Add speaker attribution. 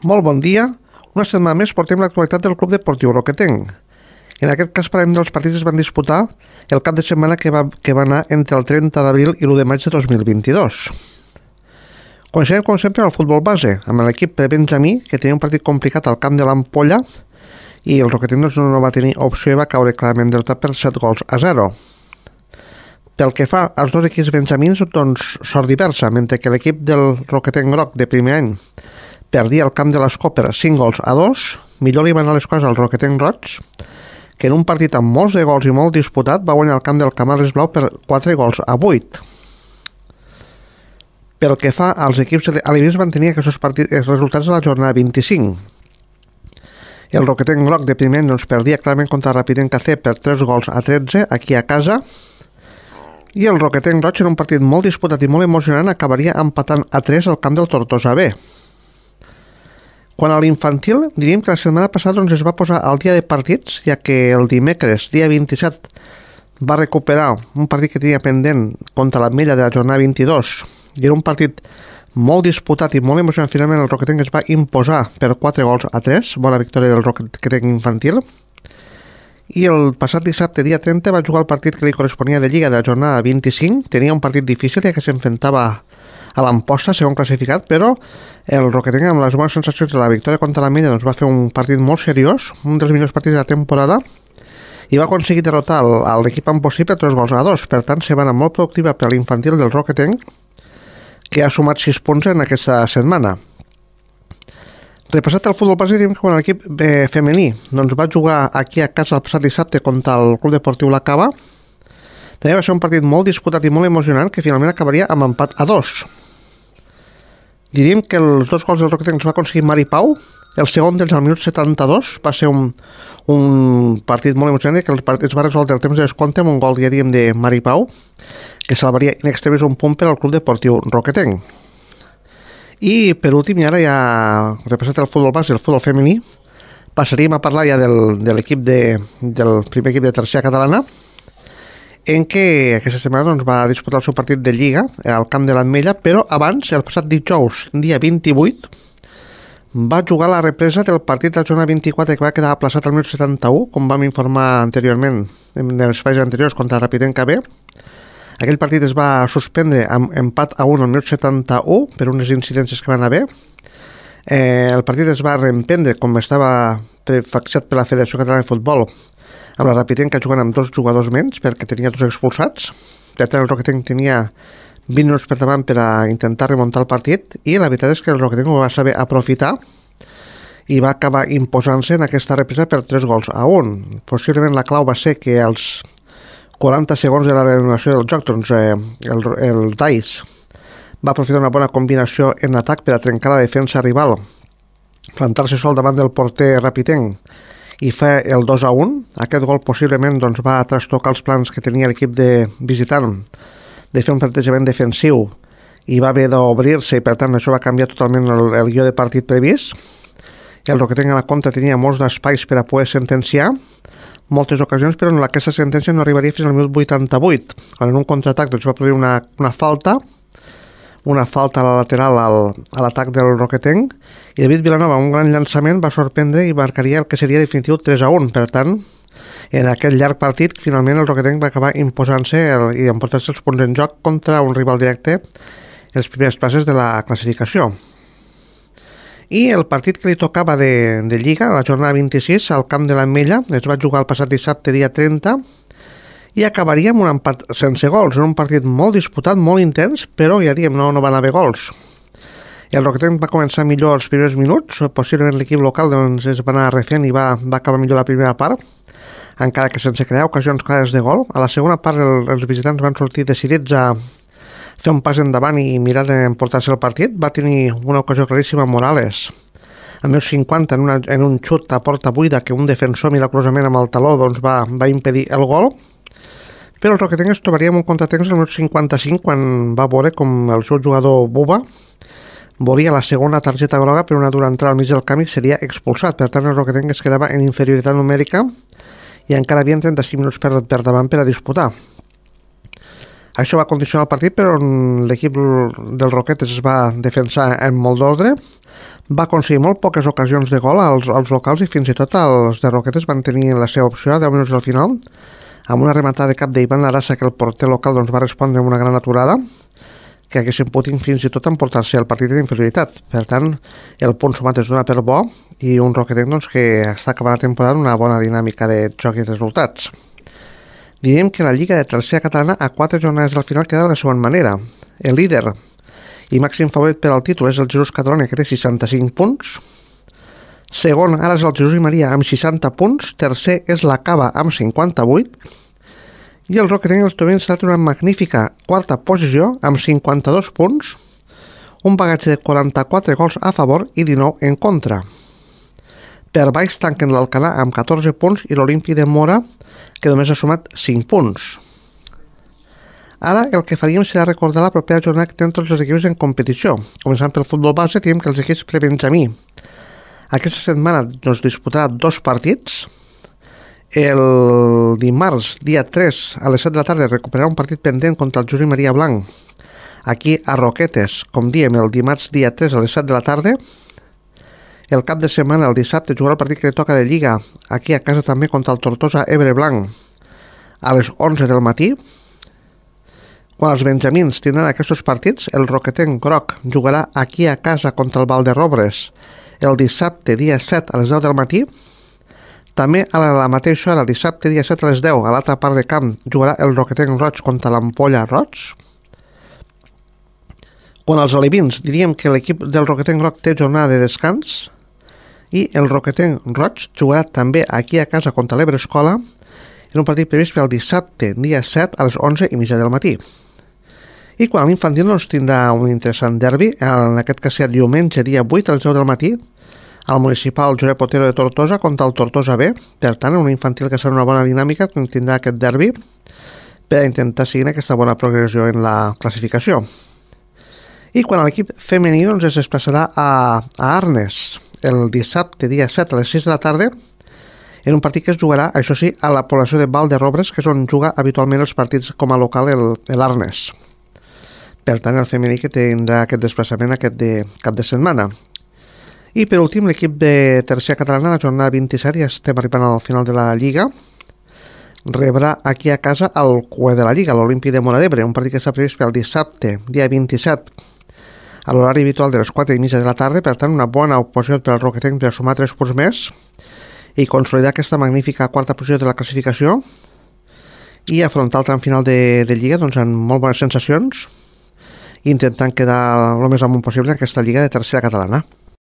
Speaker 1: Molt bon dia. Una setmana més portem l'actualitat del Club Deportiu Roquetenc. En aquest cas parlem dels partits que es van disputar el cap de setmana que va anar entre el 30 d'abril i l'1 de maig de 2022. Comencem, com sempre, el futbol base, amb l'equip de Benjamí, que tenia un partit complicat al camp de l'Ampolla, i el Roquetenc no va tenir opció i va caure clarament derrotat per 7-0. Pel que fa als dos equips benjamins, doncs sort diversa, mentre que l'equip del Roquetenc Groc de primer any perdia el camp de l'Escó per 5-2, millor li van anar les coses al Roquetenc Roig, que en un partit amb molts de gols i molt disputat va guanyar el camp del Camades Blau per 4-8. Pel que fa als equips alevins, van tenir aquests resultats a la jornada 25. El Roquetenc Groc de primer any doncs, perdia clarament contra Rapidenc AC per 3-13 aquí a casa, i el Roquetenc Roig, en un partit molt disputat i molt emocionant, acabaria empatant a 3 al camp del Tortosa B. Quant a l'infantil, diríem que la setmana passada doncs, es va posar al dia de partits, ja que el dimecres, dia 27, va recuperar un partit que tenia pendent contra l'Ametlla de la jornada 22, i era un partit molt disputat i molt emocionant. Finalment el Roquetenc es va imposar per 4-3, bona victòria del Roquetenc infantil. I el passat dissabte, dia 30, va jugar el partit que li corresponia de Lliga de la jornada 25. Tenia un partit difícil, ja que s'enfrontava a l'Amposta, segon classificat, però el Roquetenc, amb les bones sensacions de la victòria contra l'Ametlla, doncs va fer un partit molt seriós, un dels millors partits de la temporada, i va aconseguir derrotar l'equip ampocí per 3-2. Per tant, se va anar molt productiva per l'infantil del Roquetenc, que ha sumat 6 punts en aquesta setmana. Repassat el futbol base, diem que quan l'equip femení doncs va jugar aquí a casa el passat dissabte contra el Club Deportiu La Cava, també va ser un partit molt disputat i molt emocionant que finalment acabaria amb empat a 2. Diríem que els dos gols del Roquetenc els va aconseguir Mari Pau. El segon dels al minut 72 va ser un partit molt emocionant, que es va resoldre el temps de descompte amb un gol, ja diem, de Mari Pau, que salvaria in extremis un punt per al Club Deportiu Roquetenc. I per últim, i ara ja repassat el futbol base i el futbol femení, passaríem a parlar ja de l'equip del primer equip de tercera catalana, en què aquesta setmana doncs, va disputar el seu partit de Lliga al camp de l'Ametlla, però abans, el passat dijous, dia 28, va jugar la represa del partit de la jornada 24 que va quedar aplaçat al minut 71, com vam informar anteriorment en els espais anteriors contra Rapidenc AB. Aquell partit es va suspendre amb empat a 1 al minut 71 per unes incidències que van haver. El partit es va reemprendre com estava fixat per la Federació Catalana de Futbol, amb la Rapidenc jugant amb 2 jugadors menys perquè tenia 2 expulsats. Per tant, el Roquetenc tenia 20 minuts per davant per a intentar remuntar el partit, i la veritat és que el Roquetenc ho va saber aprofitar i va acabar imposant-se en aquesta represa per 3-1. Possiblement la clau va ser que els 40 segons de la reanudació del joc, doncs el Dice va aprofitar una bona combinació en atac per a trencar la defensa rival, plantar-se sol davant del porter Rapidenc i fer el 2-1. Aquest gol possiblement doncs, va trastocar els plans que tenia l'equip de visitant de fer un plantejament defensiu i va haver d'obrir-se, i per tant això va canviar totalment el guió de partit previst. El Roquetenc a la contra tenia molts espais per a poder sentenciar, moltes ocasions, però aquesta sentència no arribaria fins al minut 88, quan en un contraatac doncs, va produir una falta a la lateral a l'atac del Roquetenc, i David Vilanova, un gran llançament, va sorprendre i marcaria el que seria definitiu 3-1. Per tant, en aquest llarg partit, finalment el Roquetenc va acabar imposant-se i emportar-se els punts en joc contra un rival directe en les primeres places de la classificació. I el partit que li tocava de Lliga, la jornada 26, al camp de l'Ametlla, es va jugar el passat dissabte, dia 30, i acabaria amb un empat sense gols. Era un partit molt disputat, molt intens, però ja diem, no van haver gols. El Roquetenc va començar millor els primers minuts, possiblement l'equip local doncs, es va anar refent i va acabar millor la primera part, encara que sense crear ocasions clares de gol. A la segona part els visitants van sortir decidits a fer un pas endavant i mirar d'emportar-se el partit. Va tenir una ocasió claríssima Morales a minut 50 en un xut a porta buida que un defensor milagrosament amb el taló doncs, va impedir el gol, però el Roquetenc es trobaria amb un contratemps al minut 55 quan va veure com el seu jugador Buba volia la segona targeta groga per una dura entrada al mig del camp i seria expulsat. Per tant, el Roquetenc es quedava en inferioritat numèrica i encara havien 35 minuts per davant per a disputar. Això va condicionar el partit, però l'equip del Roquetes es va defensar en molt d'ordre, Va aconseguir molt poques ocasions de gol als locals i fins i tot els de Roquetes van tenir la seva opció a 10 minuts del final amb una rematada de cap d'Ivan Arasa que el porter local va respondre amb una gran aturada que haguessin pogut fins i tot emportar-se el partit d'inferioritat. Per tant, el punt sumat es dona per bo i un Roquetenc que està acabant la temporada una bona dinàmica de joc i resultats. Diríem que la Lliga de Tercera Catalana a 4 jornades del final queda de la següent manera. El líder i màxim favorit per al títol és el Jesús Catalunya, que té 65 punts. Segon, ara és el Jesús i Maria amb 60 punts. Tercer és la Cava amb 58. I el Roquetenc i els Tomins s'ha una magnífica quarta posició amb 52 punts, un bagatge de 44 gols a favor i 19 en contra. Per baix tanquen l'Alcanar amb 14 punts i l'Olimpi de Mora, que només ha sumat 5 punts. Ara el que faríem serà recordar la propera jornada que tenen tots els equips en competició. Començant pel futbol base, tenim que els equips prebenjamí aquesta setmana es disputarà 2 partits. El dimarts, dia 3, a les 7 de la tarda, recuperarà un partit pendent contra el Josep Maria Blanc, aquí a Roquetes, com diem, el dimarts, dia 3, a les 7 de la tarda. El cap de setmana, el dissabte, jugarà el partit que li toca de Lliga, aquí a casa també contra el Tortosa Ebre Blanc, a les 11 del matí. Quan els benjamins tindran aquests partits, el Roquetenc groc jugarà aquí a casa contra el Valderrobres el dissabte, dia 7, a les 10 del matí. També a la mateixa hora, el dissabte, dia 7, a les 10, a l'altra part de camp, jugarà el Roquetenc roig contra l'Ampolla roig. Quan els alevins, diríem que l'equip del Roquetenc groc té jornada de descans i el Roquetenc roig jugarà també aquí a casa contra l'Ebre Escola en un partit previst pel dissabte, dia 7, a les 11:30 del matí. I quan l'infantil tindrà un interessant derbi, en aquest cas serà diumenge, dia 8, a les 10 del matí, al municipal Josep Otero de Tortosa contra el Tortosa B. Per tant, un infantil que serà una bona dinàmica quan tindrà aquest derbi per intentar seguir aquesta bona progressió en la classificació. I quan l'equip femení es desplaçarà a Arnes el dissabte, dia 7, a les 6 de la tarda, en un partit que es jugarà, això sí, a la població de Valderrobres, que és on juga habitualment els partits com a local l'Arnes. Per tant, el femení que tindrà aquest desplaçament aquest cap de setmana. I per últim, l'equip de Tercera Catalana, la jornada 27, ja estem arribant al final de la Lliga, rebrà aquí a casa el cué de la Lliga, l'Olimpi de Mora d'Ebre, un partit que està previst pel dissabte, dia 27, a l'horari habitual de les 4:30 de la tarda. Per tant, una bona oposició per al Roquetenc de sumar 3 punts més i consolidar aquesta magnífica quarta posició de la classificació i afrontar el tram final de Lliga amb molt bones sensacions, intentant quedar el més amunt possible en aquesta Lliga de Tercera Catalana.